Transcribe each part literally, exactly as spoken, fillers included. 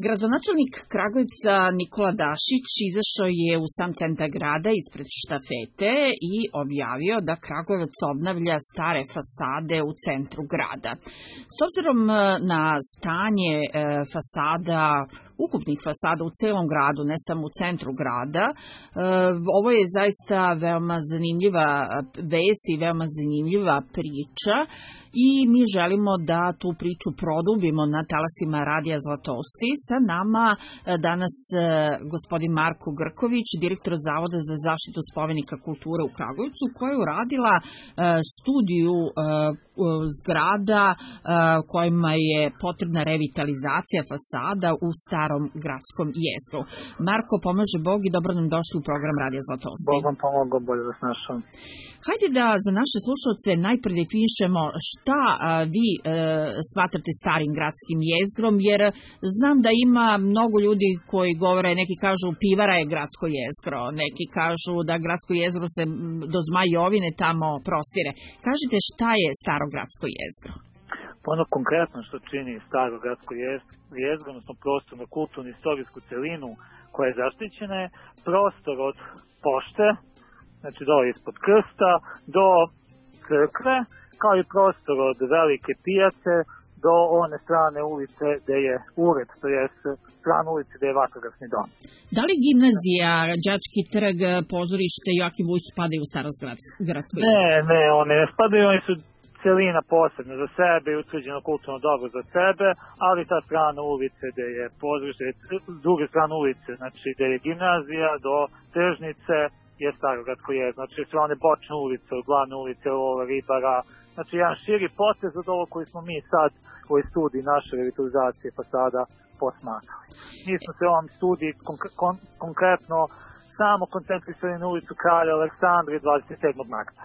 Gradonačelnik Kragujevca Nikola Dašić izašao je u sam centar grada ispred štafete i objavio da Kragujevac obnavlja stare fasade u centru grada. S obzirom na stanje fasada, ukupnih fasada u celom gradu, ne samo u centru grada, ovo je zaista veoma zanimljiva vest i veoma zanimljiva priča i mi želimo da tu priču produbimo na talasima Radija Zlatousti. Sa nama danas gospodin Marko Grković, direktor Zavoda za zaštitu spomenika kulture u Kragujevcu, koja je uradila studiju zgrada kojima je potrebna revitalizacija fasada u starom gradskom jezgru. Marko, pomaže Bog i dobro nam došli u program Radija Zlatousti. Bog vam pomogao, bolje vas našao. Hajde da za naše slušalce najpre definišemo šta a, vi e, smatrate starim gradskim jezgrom, jer znam da ima mnogo ljudi koji govore, neki kažu pivara je gradsko jezgro, neki kažu da gradsko jezgro se do Zmajovine tamo prostire. Kažite šta je staro gradsko jezgro? Ono konkretno što čini staro gradsko jezgro, odnosno prostorno, kulturnu, istorijsku celinu koja je zaštićena, je prostor od pošte, znači dole ispod krsta, do crkve, kao i prostor od velike pijace do one strane ulice gde je ured, to je strana ulice gde je vatrogasni dom. Da li gimnazija, Đački trg, pozorište Joakim Vujić spadaju u staro gradsko jezgro? Ne, ne, one ne spadaju, oni su celina posebno za sebe i utvrđeno kulturno dobro za sebe, ali ta strana ulice gde je pozorište, s druge strane ulice, znači gde je gimnazija do tržnice, je staro gradsko jezgro, znači sve one bočne ulice, od glavne ulice, Lova, Ribara, znači jedan širi potez od ovo koji smo mi sad u ovoj studiji naše revitalizacije fasada posmatrali. Mi smo se u ovom studiji konk- kon- konkretno samo koncentrisali na ulicu Kralja Aleksandra i dvadeset sedmog marta.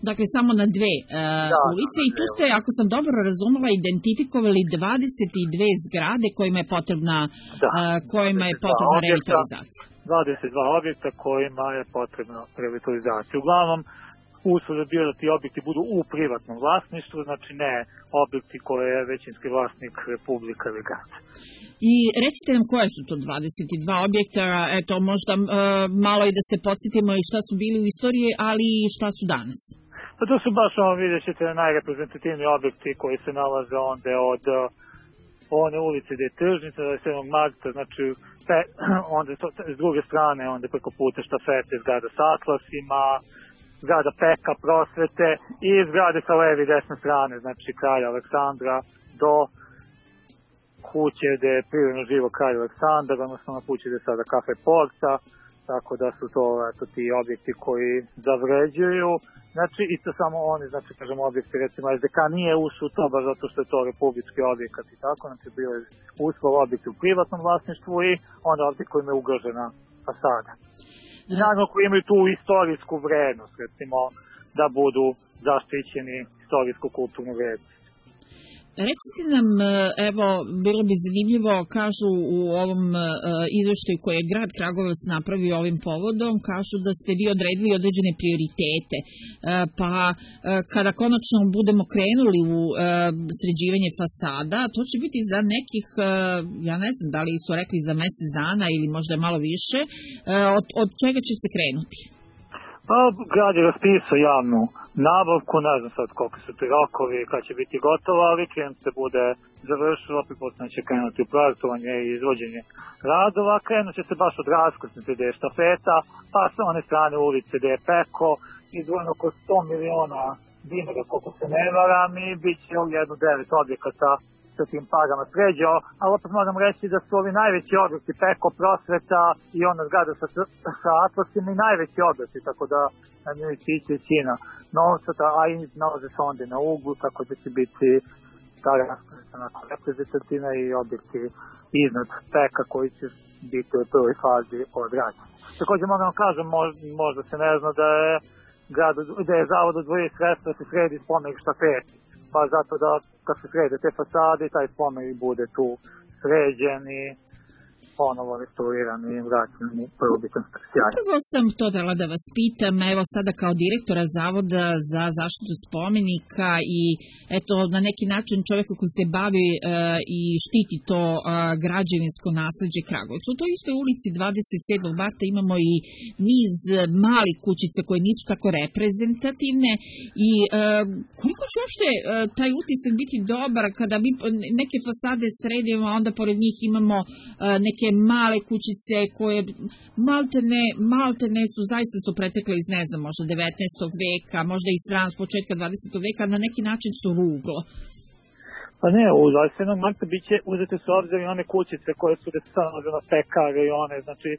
Dakle, samo na dve uh, da, ulice i tu ste, ako sam dobro razumela, identifikovali dvadeset dve zgrade kojima je potrebna, da, uh, kojima je potrebna objekta, revitalizacija. dvadeset dva objekta kojima je potrebna revitalizacija. Uglavnom, uslov je bio da ti objekti budu u privatnom vlasništvu, znači ne objekti koje je većinski vlasnik Republika ili grad. I recite nam koje su to dvadeset dva objekta, eto možda uh, malo i da se podsjetimo i šta su bili u istoriji, ali i šta su danas. Pa to su baš ono, vidjet ćete, najreprezentativni objekti koji se nalaze onda od one ulice gde je tržnica, do sedmog marta, znači pe, onda to, s druge strane, onda preko puta štafete, zgrada s atlasima, zgrada Peka, prosvete i zgrade sa leve i desne strane, znači Kralja Aleksandra do kuće gde je prirodno živo Kralj Aleksandar, odnosno na kući gde je sada kafe Porta, tako da su to eto, ti objekti koji zavređuju. Znači, isto samo oni, znači, kažemo, objekti, recimo, es de ka nije ušao to, baš zato što je to republički objekat i tako, znači, bilo je uslov objekti u privatnom vlasništvu i onda objekti kojima je ugrožena fasada. I naravno, koji imaju tu istorijsku vrednost, recimo, da budu zaštićeni istorijsko-kulturnu vrednost. Recite nam, evo, bilo bi zanimljivo, kažu u ovom izveštaju koji je grad Kragujevac napravio ovim povodom, kažu da ste vi odredili određene prioritete, pa kada konačno budemo krenuli u sređivanje fasada, to će biti za nekih, ja ne znam, da li su rekli za mesec dana ili možda malo više, od, od čega će se krenuti? Pa, grad je raspisao javnu nabavku, ne znam sad koliko su ti rokovi, kad će biti gotovo, ali klijent se bude završilo, pripostavljeno će krenuti u projektovanje i izvođenje radova, krenut će se baš od raskrsnice gde je štafeta, pa sa one strane ulice gde je Peko, izdvojeno oko sto miliona dinara, koliko se ne varam, i bit će jedno devet objekata sa tim parama sređao, ali opet moram reći da su ovi najveći objekti Peko, prosveta i ona zgrada sa, sa atlasima i najveći objekti, tako da na njoj će ići većina novca, a i nalaze se onda na uglu, tako da će biti ta raskrsta reprezentativna i objekti iznad Peka koji će biti u prvoj fazi odrađeni. Također moram kažem, možda, možda se ne zna da je, grad, da je zavod odvojio sredstva da se sredi spomenik štafeti. Pa zato da kad se srede te fasade, taj spomenik bude tu sređen i ponovo restaurirani i vraćeni prvobitnom sjaju. Prvo sam to dala da vas pitam, evo sada kao direktora Zavoda za zaštitu spomenika i eto na neki način čovjeka koji se bavi e, i štiti to e, građevinsko nasleđe Kragujevca. U toj istoj ulici dvadeset sedmog marta imamo i niz malih kućica koje nisu tako reprezentativne i e, koliko će uopšte e, taj utisak biti dobar kada mi neke fasade sredimo, a onda pored njih imamo e, neke male kućice koje maltene, maltene su zaista su pretekle iz, ne znam, možda devetnaestog veka, možda i sran s početka dvadesetog veka, na neki način su ruglo. Pa ne, u dvadeset sedmog marta biće uzete su obzir i one kućice koje su desano na pekare i one, znači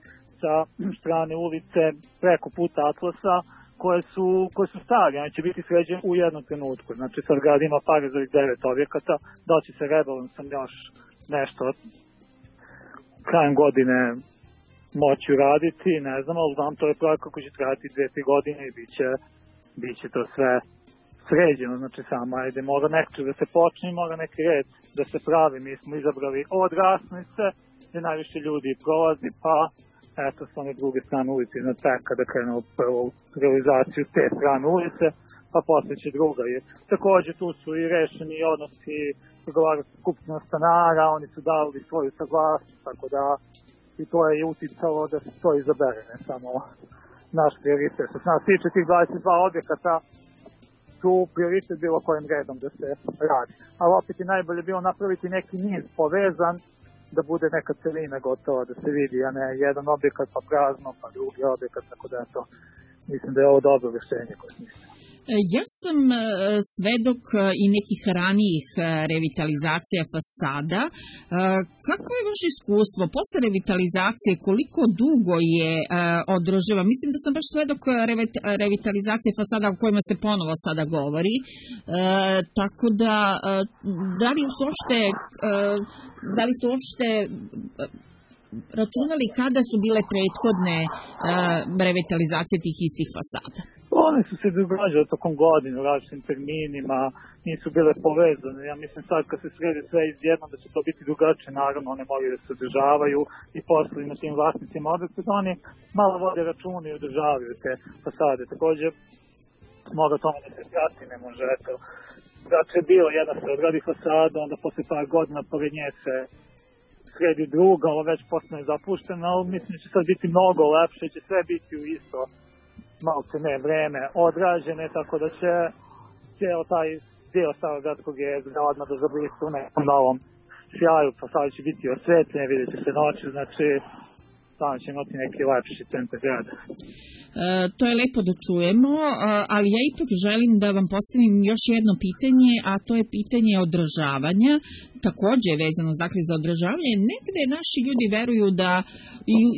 sa strane ulice preko puta Atlasa, koje su, koje su stari, one će biti sređene u jednom trenutku. Znači sad grad ima pare za devet objekata, da će se rebalansom još nešto krajem godine moći uraditi, ne znam, ali znam, to je projekt koji će trajati dve, tri godine i bit će, bit će to sve sređeno, znači samo ajde, mora nešto da se počne, mora neki red da se pravi. Mi smo izabrali od Rasnice, gdje najviše ljudi prolazi, pa eto s one druge strane ulice iznad Peka da krenu prvu realizaciju te strane ulice, pa posle će druga. I također tu su i rešeni odnosi pregovaračka skupština stanara, oni su dali svoju saglasnost, tako da i to je uticalo da se to izabere, ne samo naš prioritet. Što se nas tiče tih dvadeset dva objekata, su prioritet bilo kojim redom da se radi. Ali opet je najbolje bilo napraviti neki niz povezan, da bude neka celina gotova, da se vidi, a ne jedan objekat pa prazno, pa drugi objekat, tako da je to, mislim da je ovo dobro rješenje koje smislim. Ja sam svedok i nekih ranijih revitalizacija fasada. Kako je vaše iskustvo posle revitalizacije, koliko dugo je održiva? Mislim da sam baš svedok revitalizacije fasada o kojima se ponovo sada govori. Tako da, da li su uopšte, da li su uopšte računali kada su bile prethodne revitalizacije tih istih fasada? One su se događale tokom godine u različitim terminima, nisu bile povezane. Ja mislim sad kad se sredi sve izjedno da će to biti drugačije, naravno one moraju da se održavaju i posle na tim vlasnicima objekta, da oni malo vode računa i održavaju te fasade. Također mora tome da se prati, ne može, eto, znači je bilo jedna se odradi fasada, onda posle par godina pored nje se sredi druga, ovo već postane zapušteno, ali mislim da će sad biti mnogo lepše, će sve biti u isto malce ne vreme odrađene, tako da će cijel taj dio Starogradskog jezera odmah da zablista u nekom novom sjaju, pa sad će biti osvetljen, vidjet će se noći, znači tamo će imati neki lepši centar grada. E, to je lepo da čujemo, ali ja ipak želim da vam postavim još jedno pitanje, a to je pitanje održavanja, također je vezano dakle, za održavanje. Negde naši ljudi veruju da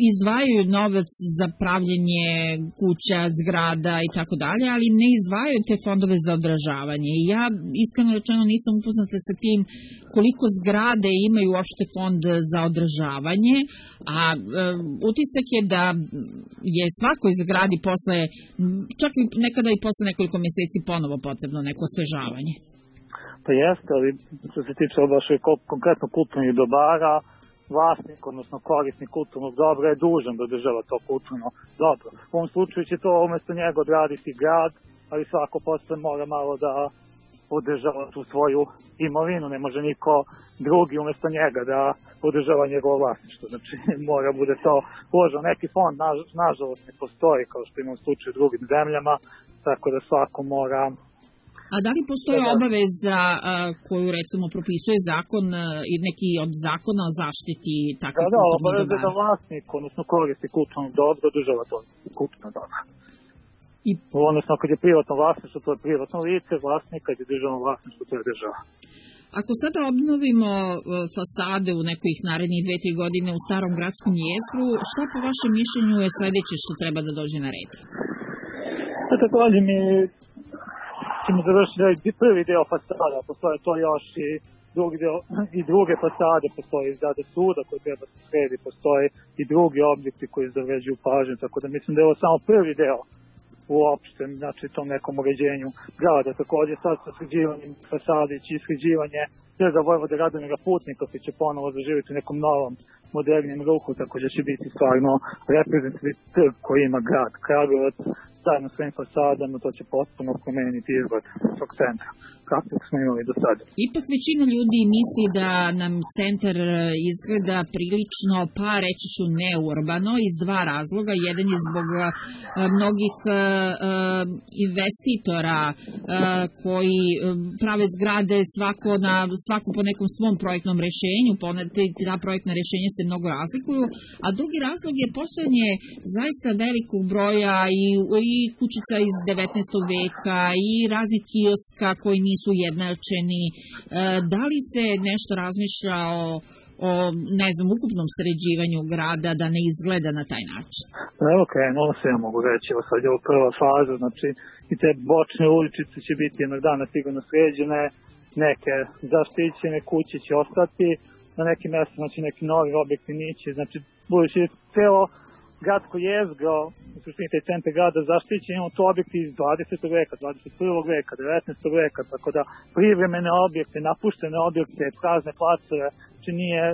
izdvajaju novac za pravljenje kuća, zgrada i tako dalje, ali ne izdvajaju te fondove za održavanje. I ja iskreno rečeno nisam upoznata sa tim koliko zgrade imaju uopšte fond za održavanje, a e, utisak je da je svakoj zgradi posle, čak i nekada i posle nekoliko mjeseci ponovo potrebno neko osvežavanje. Pa jeste, ali što se tiče baš konkretno kulturnih dobara, vlasnik, odnosno korisnik kulturnog dobra je dužan da održava to kulturno dobro. U ovom slučaju će to umjesto njega odraditi grad, ali svako posle mora malo da održava tu svoju imovinu, ne može niko drugi umjesto njega da održava njegovo vlasništvo. Znači mora bude to uloženo. Neki fond na, nažalost ne postoji kao što ima u slučaju u drugim zemljama, tako da svako mora. A da li postoji obaveza koju recimo propisuje zakon i neki od zakona o zaštiti takvih da, da, kulturnih dobara? obaveza da vlasnik, odnosno koristi kulturno dobro, održava to kulturno dobro. I... Odnosno, kad je privatno vlasništvo, to je privatno lice, vlasnik, kad je državno vlasništvo, to je država. Ako sada obnovimo fasade u nekih narednih dve, tri godine u starom gradskom jezgru, šta po vašem mišljenju je sledeće što treba da dođe na red? Da, također mi ćemo završiti prvi deo fasada, postoje to još i drugi deo, i druge fasade, postoje zgrade suda koje treba se sredi, postoje i drugi objekti koji zavređuju pažnju, tako da mislim da je ovo samo prvi deo uopšte, znači tom nekom uređenju grada. Također sad sa sređivanjem fasade i sređivanje Trga Vojvode Radomira Putnika koji će ponovo zaživjeti u nekom novom modernijem ruhu, također će biti stvarno reprezentativni trg koji ima grad Kragujevac, zajedno s svojim fasadama, to će potpuno promeniti izgled tog centra, kako smo imali do sada. Ipak većina ljudi misli da nam centar izgleda prilično, pa reći ću neurbano, iz dva razloga. Jedan je zbog mnogih investitora koji prave zgrade svako, na, svako po nekom svom projektnom rešenju, ta projektna rešenja se mnogo razlikuju, a drugi razlog je postojanje zaista velikog broja i, i kućica iz devetnaestog veka i raznih kioska koji nisu ujednačeni. Da li se nešto razmišlja o, o ne znam, ukupnom sređivanju grada da ne izgleda na taj način? Evo krenulo se, ja mogu reći, evo sad je ovo prva faza, znači i te bočne uličice će biti jednog dana sigurno sređene, neke zaštićene kuće će ostati, na nekim mjestima znači neki novi objekti nići, znači budući celo gradsko jezgro, u suštini taj centar grada zaštićen, imamo to objekti iz dvadesetog veka, dvadeset prvog veka, devetnaestog veka, tako da privremene objekte, napuštene objekte, prazne placeve, znači nije,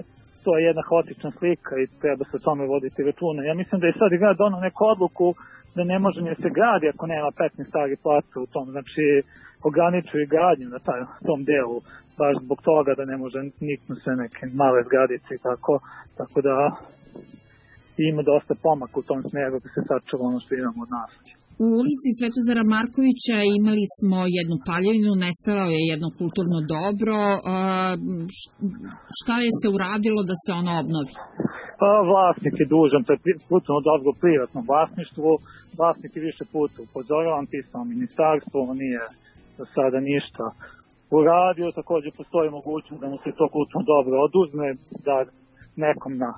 to je jedna haotična slika i treba se o tome voditi računa. Ja mislim da je sad i grad donao neku odluku da ne može ni se gradi ako nema petnaest starih placa u tom, znači ograničuju gradnju na taj, tom delu, baš zbog toga da ne može niknu se neke male zgradice i tako, tako da ima dosta pomaka u tom smjeru da se sačuva ono što imamo od nas. U ulici Svetozara Markovića imali smo jednu paljevinu, nestalo je jedno kulturno dobro. Šta je se uradilo da se ono obnovi? Pa, vlasnik je dužan, to je kulturno dobro u privatnom vlasništvu. Vlasnik je više puta upozoravan, pisao ministarstvo, on nije do sada ništa uradio. Također postoji mogućnost da mu se to kulturno dobro oduzme, da nekom na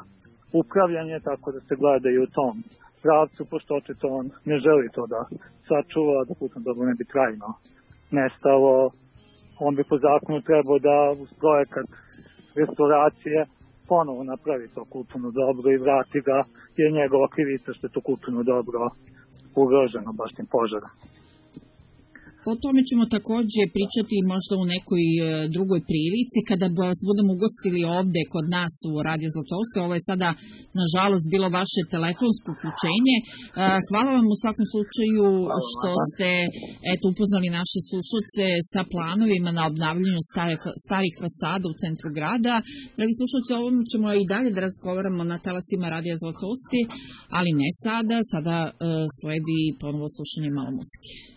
upravljanje, tako da se gledaju u tom pravcu, pošto očito on ne želi to da sačuva, da kulturno dobro ne bi trajno nestalo. On bi po zakonu trebao da uz projekat restauracije ponovo napravi to kulturno dobro i vrati ga, jer njegova krivica što je to kulturno dobro ugroženo baš tim požarom. O tome ćemo također pričati možda u nekoj drugoj prilici, kada vas budemo ugostili ovde kod nas u Radio Zlatousti. Ovo je sada, nažalost, bilo vaše telefonsko uključenje. Hvala vam u svakom slučaju što ste eto, upoznali naše slušalce sa planovima na obnavljanju stare, starih fasada u centru grada. Dragi slušalci, o ovom ćemo i dalje da razgovaramo na talasima Radio Zlatousti, ali ne sada. Sada sledi ponovo slušanje malo muzike.